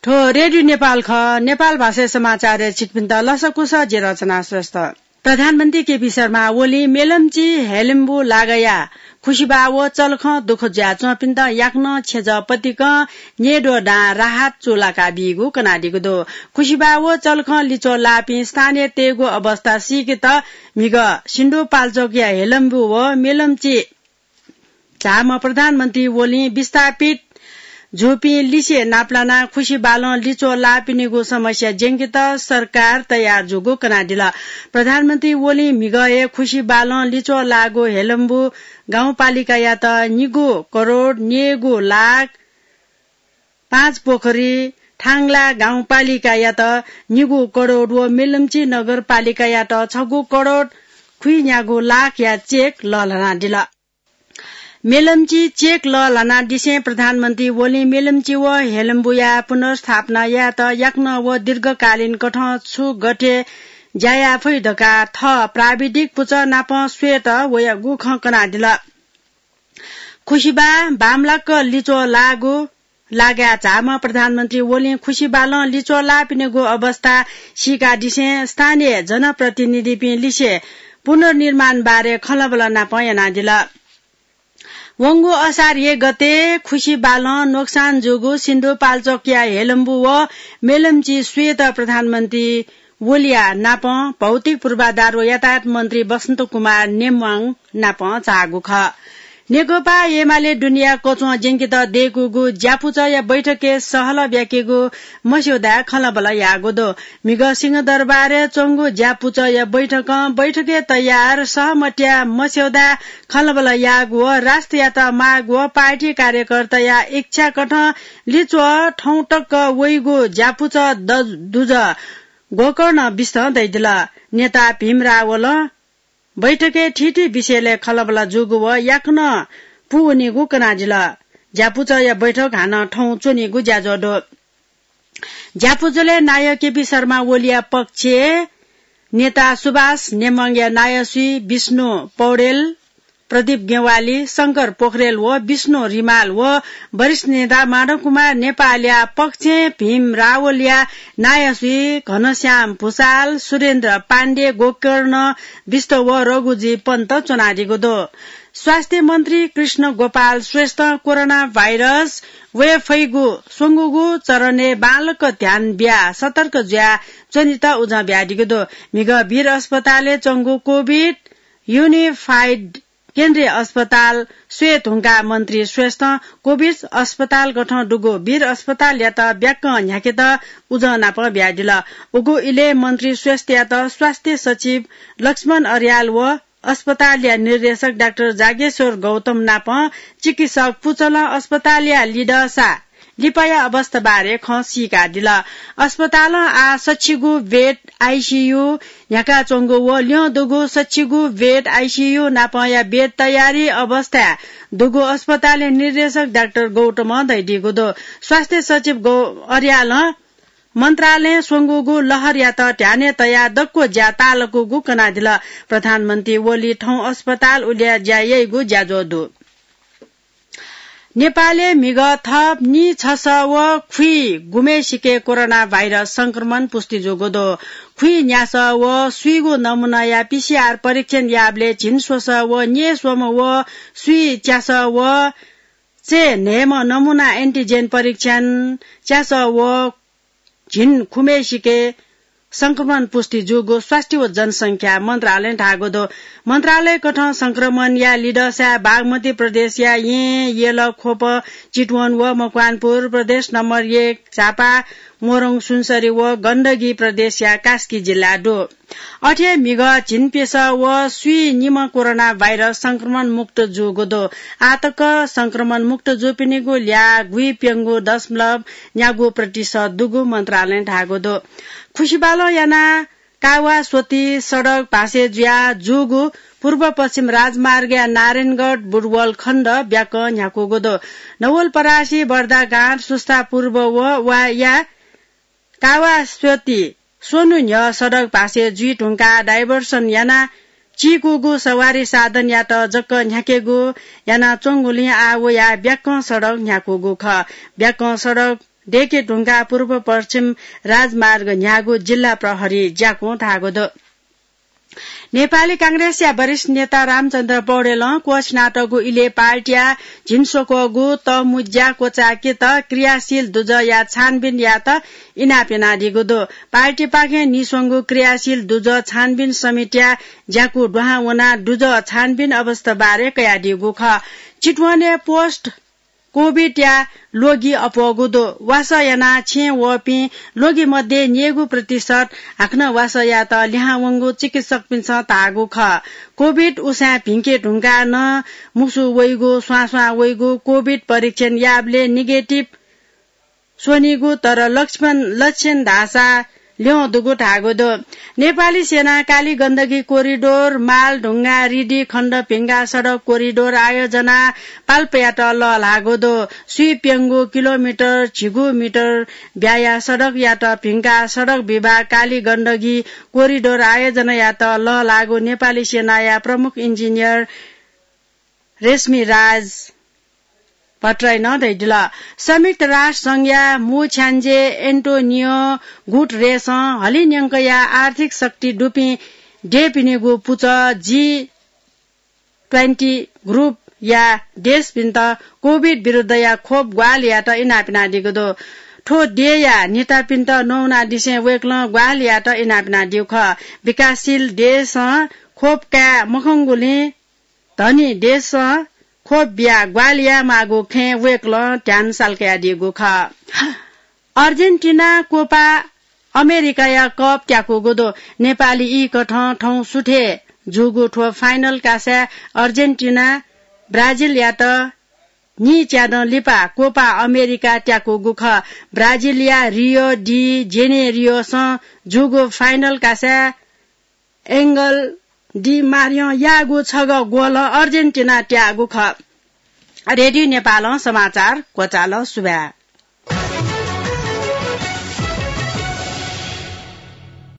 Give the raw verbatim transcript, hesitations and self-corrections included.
थ्व रेडियो नेपाल खः। नेपाल भाषाय् समाचारय् छिकपिन्त लसकुस, जि रचना श्रेष्ठ। प्रधानमन्त्री केपी शर्मा ओलीं मेलम्ची हेलम्बु लागाया खुसिबा व चलखं दुःख जुयाच्वंपिन्त याकनं छेँजः पतिकं न्येद्वः दां राहत चूलाका बीगु कनादीगु दु। खुसिबा व चलखं लिच्वः लाःपिं स्थानीयतय्गु अवस्था सीकेत म्हिगः सिन्धुपाल्चोकया हेलम्बु व मेलम्ची झाःम्ह प्रधानमन्त्री ओलीं विस्थापित जूपिं लिसे नापलानाः खुसिबालं लिच्वः लाःपिनिगु समस्या ज्यंकेत सरकार तयार जूगु कनादिल। प्रधानमन्त्री ओलीं म्हिगः हे खुसिबालं लिच्वः लाःगु हेलम्बु गाउँपालिकायात निगू करोड निगू लाख, पाँच पोखरी थांगला गाउँपालिकायात निगू करोड व मेलम्ची नगरपालिकायात छगू करोड खुइन्यागू लाखया चेक लःल्हानादिल। मेलम्ची चेक लःल्हानादिसें प्रधानमन्त्री ओलीं मेलम्ची व हेलम्बुया पुनर्स्थापना यायेत याकनं व दीर्घकालीन कथं छु गथे ज्या याये फइ धकाः थः प्राविधिक पुचः नाप स्वयेत वयागु खँ कनादिल। खुसिबा बांमलाक लिच्वः लाःगु लागाय् झाःम्ह प्रधानमन्त्री ओलीं खुसिबालं लिच्वः लाःपिनिगु अवस्था सीकादिसें स्थानीय जनप्रतिनिधिपिं लिसे पुनर्निर्माण बारे खँल्हाबल्हा नाप यानादिल। वंगु असार एक गते खुसिबालं नोक्सान जूगु सिन्धुपाल्चोकया हेलम्बु व मेलम्ची स्वयेत प्रधानमन्त्री ओलीया नाप भौतिक पूर्वाधार व यातायात मन्त्री बसन्त कुमार नेम्वाङ नाप झाःगु खः। नेकपा एमाले दुनेया कच्वं ज्यंकेत दय्कूगु ज्यापुचःया बैठकय् सहलह ब्याकेगु मस्यौदाय् खँल्हाबल्हा याःगु दु। म्हिगः सिंहदरबारय् च्वंगु ज्यापुचःया बैठकं बैठकय् तयार सहमतिया मस्यौदाय् खँल्हाबल्हा याःगु व राष्ट्रयात माग व पार्टी कार्यकर्ताया इच्छा कथं लिच्वः थौं तक वइगु ज्यापुचः द-, दुजः गोकर्णं बिस्तं दइदिल। नेता भीम रावलं बैठकय् थीथी विषयलय् खँल्हाबल्हा जूगु व याकनं पूवनीगु कनादिल। ज्यापुचःया बैठक हानं थौं च्वनीगु ज्याझ्वः दु। ज्यापुचलय् नायः केपी शर्मा ओलीया पक्षय् नेता सुभाष नेम्वाङया नायःसुइ विष्णु पौडेल, प्रदीप गेवाली, शंकर पोखरेल व विष्णु रिमाल व वरिष्ठ नेता माधव कुमार नेपालया पक्षय् भीम रावलया नायःसुइ घनश्याम भुसाल, सुरेन्द्र पाण्डे, गोकर्ण बिष्ट व रघुजी पन्त च्वनादीगु दु। स्वास्थ्य मन्त्री कृष्ण गोपाल श्रेष्ठं कोरोना भाइरस वये फइगु स्वंगूगु चरणय् बांलाक ध्यान बियाः सतर्क जुयाः च्वनेत उजं बियादीगु दु। म्हिगः वीर अस्पतालय् च्वंगु कोभिड युनिफाइड केन्द्रीय अस्पताल स्वये धुंकाः मन्त्री श्रेष्ठं कोभिड अस्पताल गथं दुगु वीर अस्पतालयात ब्याकं न्ह्याकेत उजं नाप बियादिल। उगु इलय् मन्त्री श्रेष्ठयात स्वास्थ्य सचिव लक्ष्मण अर्याल व अस्पतालया निर्देशक डाक्टर जागेश्वर गौतम नाप चिकित्सक पुचलं अस्पतालया लिधःसा लिपाया अवस्था बारे खँ सीकादिल। अस्पतालं आः सच्छिगू बेड आइसियु न्ह्याकाच्वंगु व ल्यं दुगु सच्छिगू बेड आइसियु नापंया बेड तयारी अवस्थाय् दुगु अस्पतालया निर्देशक डाक्टर गौतमं धयादीगु दु। स्वास्थ्य सचिव गौ-, अर्यालं मन्त्रालयं स्वंगूगु लहरयात ध्यानय् तयाः दक्व ज्या ताःलाकूगु कनादिल। प्रधानमन्त्री ओली थौं अस्पताल उलिया ज्या याइगु ज्याझ्वः दु। नेपालय् म्हिगः थप नीछसः व खुइगुम्हेसिके कोरोना भाइरस संक्रमण पुष्टि जूगु दु। खुइन्यासः व स्वीगू नमुनाया पिसिआर परीक्षण याःबलय् झिंस्वसः व न्येस्वम्ह व स्वीच्यासः व चय्न्हय्म्ह नमुना एन्टिजेन परीक्षण च्यासः व झिंखुम्हेसिके संक्रमण पुष्टि जूगु स्वास्थ्य व जनसंख्या मन्त्रालयं धाःगु दु। मन्त्रालयकथं संक्रमणया लिधःसाय् बागमती प्रदेशया येँ, यल, ख्वप, चितवन व मकवानपुर, प्रदेश नम्बर एक झापा, मोरङ सुनसरी व गण्डकी प्रदेशया कास्की जिल्ला दु। अथे हे म्हिगः झिंप्यसः व स्वीनिम्ह कोरोना भाइरस संक्रमण मुक्त जूगु दु। आःतक संक्रमण मुक्त जूपिनिगु ल्याः गुइप्यंगू दशमलव न्यागू प्रतिशत दुगु मन्त्रालयं धाःगु दु। खुसिबालं यानाः कावास्वती सडक भासे जुयाः जूगु पूर्व पश्चिम राजमार्गया नारायणगढ बुटवल खण्ड ब्याकं न्ह्याकूगु दु। नवलपरासी बर्दागाँठ सुस्ता पूर्व व वाया कावास्वती स्वन्हु न्ह्यः सडक भासे जुइ धुंकाः डाइभर्सन यानाः चीकूगु सवारी साधनयात जक न्ह्याकेगु यानाच्वंगुलिं आः वयाः ब्याकं सडक न्ह्याकूगु खः। ब्याकं सडक दयेके धुंकाः पूर्व पश्चिम राजमार्ग न्ह्याःगु जिल्ला प्रहरी ज्याकुं धाःगु दु। नेपाली कांग्रेसया वरिष्ठ नेता रामचन्द्र पौडेलं क्वःछिनातःगु इलय् पार्टीया झिंस्वक्वःगु तःमुँज्या क्वचायेकेत क्रियाशील दुजःया छानबिन यायेत इनाप यानादीगु दु। पार्टीपाखें नीस्वंगु क्रियाशील दुजः छानबिन समितिया ज्याकू दुहां वनाः दुजः छानबिन अवस्था बारे कयादीगु खः। चितवनय् पोस्ट कोभिडया ल्वगि अप्वःगु दु। वासः यानाः छेँय् वःपिं ल्वगि मध्ये न्ययेगू प्रतिशत हाकनं वासः यायेत लिहां वंगु चिकित्सकपिन्सं धाःगु खः। कोभिड उसाँय् भिंके धुंकाः नं मुसु वइगु, स्वां स्वां वइगु, कोभिड परीक्षण याःबलय् नेगेटिभ स्वनीगु, तर लक्षण, लक्षण धाःसा ल्यं दुगु धाःगु दु। नेपाली सेनां काली गण्डकी कोरिडोर, माल ढुङ्गा रिडी खण्ड भिंका सडक कोरिडोर आयोजना पाल्पायात लःल्हाःगु दु। स्वीप्यंगू किलोमिटर झिगू मिटर ब्याया सडकयात भिंका सडक विभाग काली गण्डकी कोरिडोर आयोजनायात लःल्हाःगु नेपाली सेनाया प्रमुख इन्जिनियर रेशमी राज भट्टराईं धयादिल। संयुक्त राष्ट्र संघया मू छ्याञ्जे एन्टोनियो गुटरेसं हलिंन्यंकया आर्थिक शक्ति दुपिं देय्‌पिनिगु पुचः जी ट्वेन्टी ग्रुपया देशपिन्त कोभिड विरुद्धया खोप ग्वाहालि यायेत इनाप यानादीगु दु। थ्व देय्‌या नेतापिन्त नवानादिसें वय्‌कलं ग्वाहालि यायेत इनाप यानादीगु खः। विकासशील देशं खोप काये मखंगुलिं धनी देशं खोप बियाः ग्वाहालि यायेमाःगु खँय् वय्‌कलं ध्यान साल कयादीगु खः। अर्जेन्टिनां कोपा अमेरिकाया कप त्याकूगु दु। नेपाली ई कथं थौं सुथय् जूगु थ्व फाइनल कासाय् अर्जेन्टिनां ब्राजिलयात नीच्यादँ लिपा कोपा अमेरिका त्याकूगु खः। ब्राजिलया रियो डी जेनेरियोसं जूगु फाइनल कासाय् एंगल डी मारियं याःगु छगः गोलं अर्जेन्टिना त्याःगु खः। रेडियो नेपालं समाचार क्वचाल। सुभाय्।